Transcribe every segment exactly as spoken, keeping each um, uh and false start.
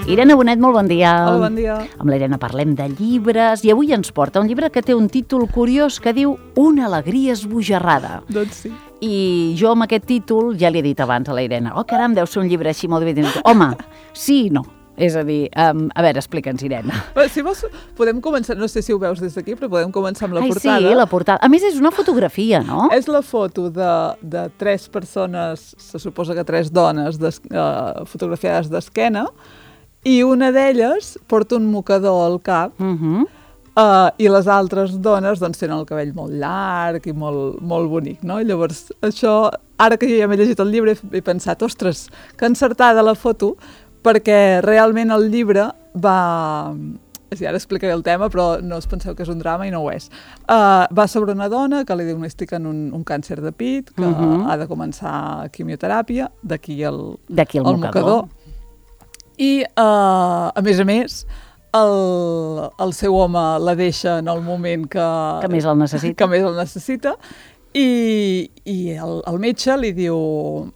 Irene Bonet, molt bon dia. Hola, bon dia. Amb l'Irene parlem de llibres i avui ens porta un llibre que té un títol curiós que diu Una alegria esbojarrada. Doncs sí. I jo amb aquest títol ja li he dit abans a la Irene, oh caram, deu ser un llibre així molt divertit. Home, sí i no. És a dir, um, a veure, explica'ns, Irene. Bé, si vols, podem començar, no sé si ho veus des d'aquí, però podem començar amb la Ai, portada. Sí, la portada. A més, és una fotografia, no? És la foto de, de tres persones, se suposa que tres dones, des, uh, fotografiades d'esquena, i una d'elles porta un mocador al cap, Uh -huh. uh, i les altres dones doncs, tenen el cabell molt llarg i molt, molt bonic, no? I llavors, això, ara que jo ja m'he llegit el llibre, he pensat, ostres, que encertada la foto, perquè realment el llibre va... Sí, ara explicaré el tema, però no us penseu que és un drama i no ho és. Uh, va sobre una dona que li diagnostiquen un, un càncer de pit, que uh -huh. ha de començar quimioteràpia, d'aquí el, d'aquí el, el mocador. mocador. I, uh, a més a més, el, el seu home la deixa en el moment que... Que més el necessita. Que més el necessita. I, i el, el metge li diu...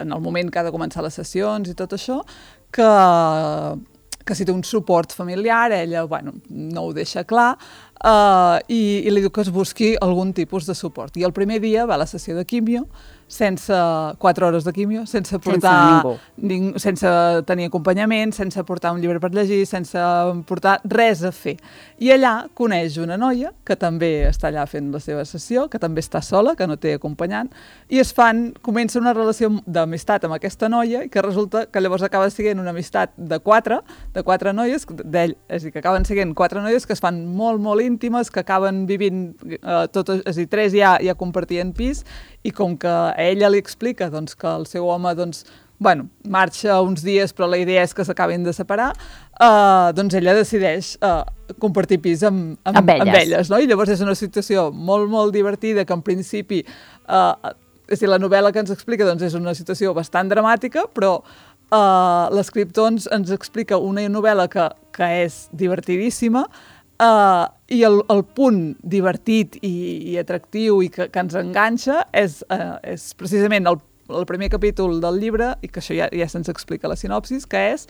en el moment que ha de començar les sessions i tot això, que, que si té un suport familiar, ella bueno, no ho deixa clar, uh, i, i li diu que es busqui algun tipus de suport. I el primer dia va a la sessió de quimio, sense quatre hores de quimio, sense portar... Sense ning, sense tenir acompanyament, sense portar un llibre per llegir, sense portar res a fer. I allà coneix una noia que també està allà fent la seva sessió, que també està sola, que no té acompanyant, i es fan, comença una relació d'amistat amb aquesta noia, i que resulta que llavors acaba sent una amistat de quatre, de quatre noies, d'ell, és a dir, que acaben sent quatre noies que es fan molt, molt íntimes, que acaben vivint, eh, tot, és a dir, tres ja, ja compartien pis, i com que a ella li explica doncs, que el seu home doncs, bueno, marxa uns dies, però la idea és que s'acabin de separar, uh, doncs ella decideix uh, compartir pis amb, amb, amb elles. Amb elles no? I llavors és una situació molt, molt divertida, que en principi, uh, és a dir, la novel·la que ens explica doncs, és una situació bastant dramàtica, però uh, l'escriptor ens, ens explica una novel·la que, que és divertidíssima, Uh, i el, el punt divertit i, i atractiu i que, que ens enganxa és, uh, és precisament el, el primer capítol del llibre, i que això ja, ja se'ns explica la sinopsis, que és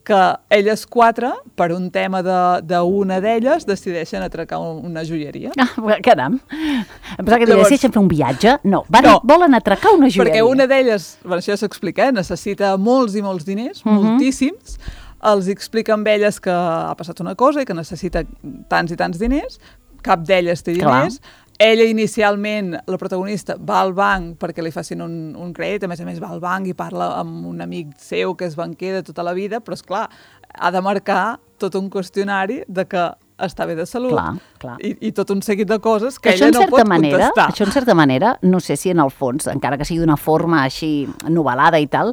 que elles quatre, per un tema d'una de, d'elles, decideixen atracar una joieria. Ah, caram. Em pensava que Llavors, decideixen fer un viatge. No, van, no, volen atracar una joieria. Perquè una d'elles, bueno, això ja s'explica, eh, necessita molts i molts diners, uh -huh. moltíssims. Els explica amb elles que ha passat una cosa i que necessita tants i tants diners, cap d'elles té diners. Clar. Ella inicialment, la protagonista, va al banc perquè li facin un, un crèdit, a més a més va al banc i parla amb un amic seu que és banquer de tota la vida, però és clar, ha de marcar tot un qüestionari de que està bé de salut, clar, clar. I, i tot un seguit de coses que això ella no pot manera, contestar. Això en certa manera, no sé si en el fons, encara que sigui d'una forma així novel·lada i tal,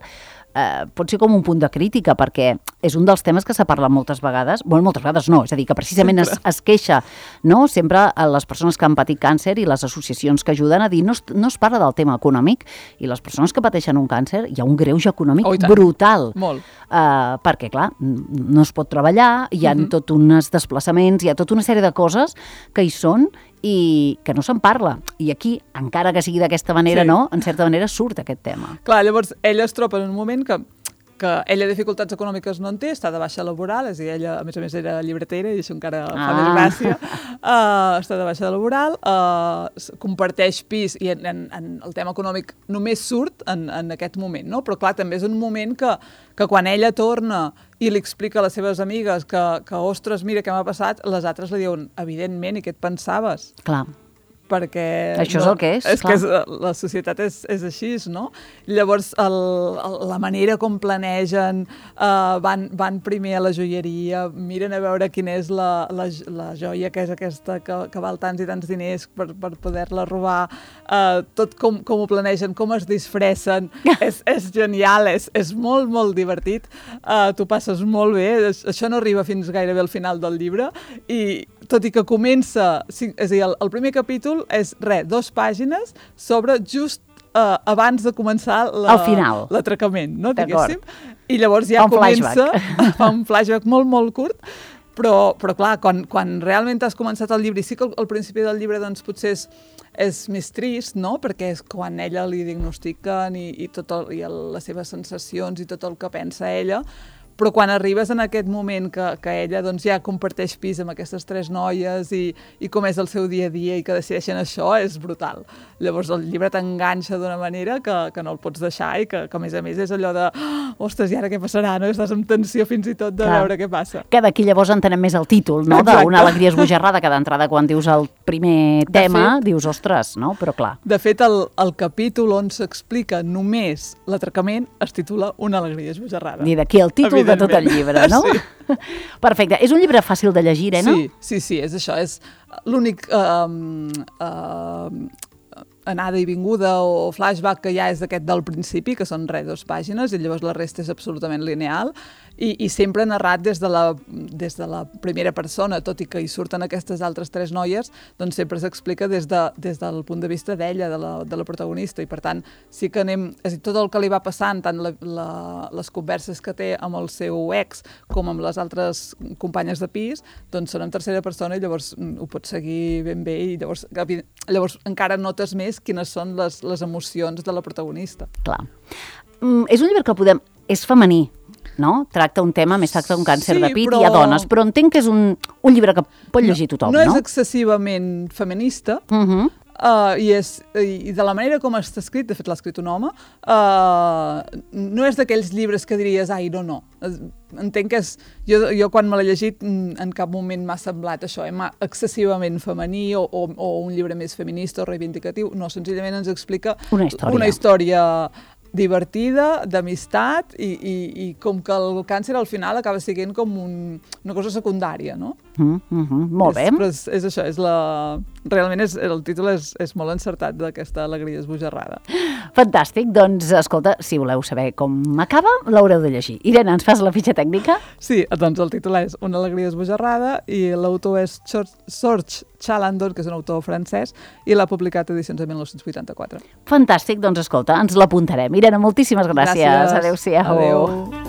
Eh, pot ser com un punt de crítica, perquè és un dels temes que s'ha parlat moltes vegades, bueno, moltes vegades no, és a dir, que precisament es, es queixa, no?, sempre a les persones que han patit càncer i les associacions que ajuden a dir, no es, no es parla del tema econòmic, i les persones que pateixen un càncer hi ha un greuge econòmic oh, brutal. Molt. Eh, perquè, clar, no es pot treballar, hi ha uh -huh. tot uns desplaçaments, hi ha tota una sèrie de coses que hi són i que no se'n parla. I aquí, encara que sigui d'aquesta manera, sí. no, en certa manera surt aquest tema. Clar, llavors ella es troba en un moment que, que ella dificultats econòmiques no en té, està de baixa laboral, és a dir, ella a més a més era llibretera i això encara ah. fa més gràcia, uh, està de baixa laboral, uh, comparteix pis i en, en, en el tema econòmic només surt en, en aquest moment, no? Però clar, també és un moment que, que quan ella torna i li explica a les seves amigues que, que ostres, mira què m'ha passat, les altres li diuen, evidentment, i què et pensaves? Clar. Perquè... Això no, és el que és, és clar. Que és, la societat és, és així, no? Llavors, el, el, la manera com planegen, uh, van, van primer a la joieria, miren a veure quina és la, la, la joia que és aquesta, que, que val tants i tants diners per, per poder-la robar, uh, tot com, com ho planegen, com es disfressen, és, és genial, és, és molt, molt divertit, uh, tu passes molt bé, això no arriba fins gairebé al final del llibre, i tot i que comença, és a dir, el, el primer capítol és, res, dos pàgines sobre just uh, abans de començar l'atracament, no, diguéssim? I llavors ja fa comença, fa un flashback molt, molt curt, però, però clar, quan, quan realment has començat el llibre, i sí que al, al principi del llibre doncs potser és, és més trist, no?, perquè és quan ella li diagnostiquen i, i, tot el, i el, les seves sensacions i tot el que pensa ella, però quan arribes en aquest moment que, que ella doncs, ja comparteix pis amb aquestes tres noies i, i com és el seu dia a dia i que decideixen això, és brutal. Llavors el llibre t'enganxa d'una manera que, que no el pots deixar i que, que a més a més és allò de oh, ostres, i ara què passarà? No? Estàs amb tensió fins i tot de Clar. veure què passa. Que d'aquí llavors entenem més el títol, no? D'una alegria esbojarrada, que d'entrada quan dius el primer tema fet, dius ostres, no? Però clar. De fet, el, el capítol on s'explica només l'atracament es titula Una alegria esbojarrada. I d'aquí el títol de tot el llibre, no? Sí. Perfecte. És un llibre fàcil de llegir, eh, no? Sí, sí, sí, és això. És l'únic uh, uh, anada i vinguda o flashback que hi ha és d'aquest del principi, que són res, dues pàgines, i llavors la resta és absolutament lineal, i, i sempre narrat des de, la, des de la primera persona, tot i que hi surten aquestes altres tres noies, doncs sempre s'explica des, de, des del punt de vista d'ella, de, la, de la protagonista, i per tant sí que anem, és a dir, tot el que li va passant, tant la, la, les converses que té amb el seu ex com amb les altres companyes de pis, doncs són en tercera persona i llavors ho pots seguir ben bé i llavors, llavors encara notes més quines són les, les emocions de la protagonista. Clar. Mm, és un llibre que podem... És femení, no? Tracta un tema, més tracta un càncer sí, de pit però... i a dones, però entenc que és un, un llibre que pot llegir tothom, no? No és excessivament feminista, uh -huh. uh, i, és, i de la manera com està escrit, de fet l'ha escrit un home, uh, no és d'aquells llibres que diries, ai, no, no. Entenc que és... Jo, jo quan me l'he llegit en cap moment m'ha semblat això, eh, excessivament femení o, o, o un llibre més feminista o reivindicatiu. No, senzillament ens explica una història, una història divertida, d'amistat i, i, i com que el càncer al final acaba sent com un, una cosa secundària, no? Mm, mm, mm, molt bé. És, però és, és això, és la... realment és, el títol és, és molt encertat d'aquesta alegria esbojarrada. Fantàstic, doncs escolta, si voleu saber com acaba, l'haureu de llegir. Irene, ens fas la fitxa tècnica? Sí, doncs el títol és Una alegria esbojarrada i l'autor és George Chalandon, que és un autor francès, i l'ha publicat a edicions de mil nou-cents vuitanta-quatre. Fantàstic, doncs escolta, ens l'apuntarem. Irene, moltíssimes gràcies. Gràcies. Adéu-siau. Adéu.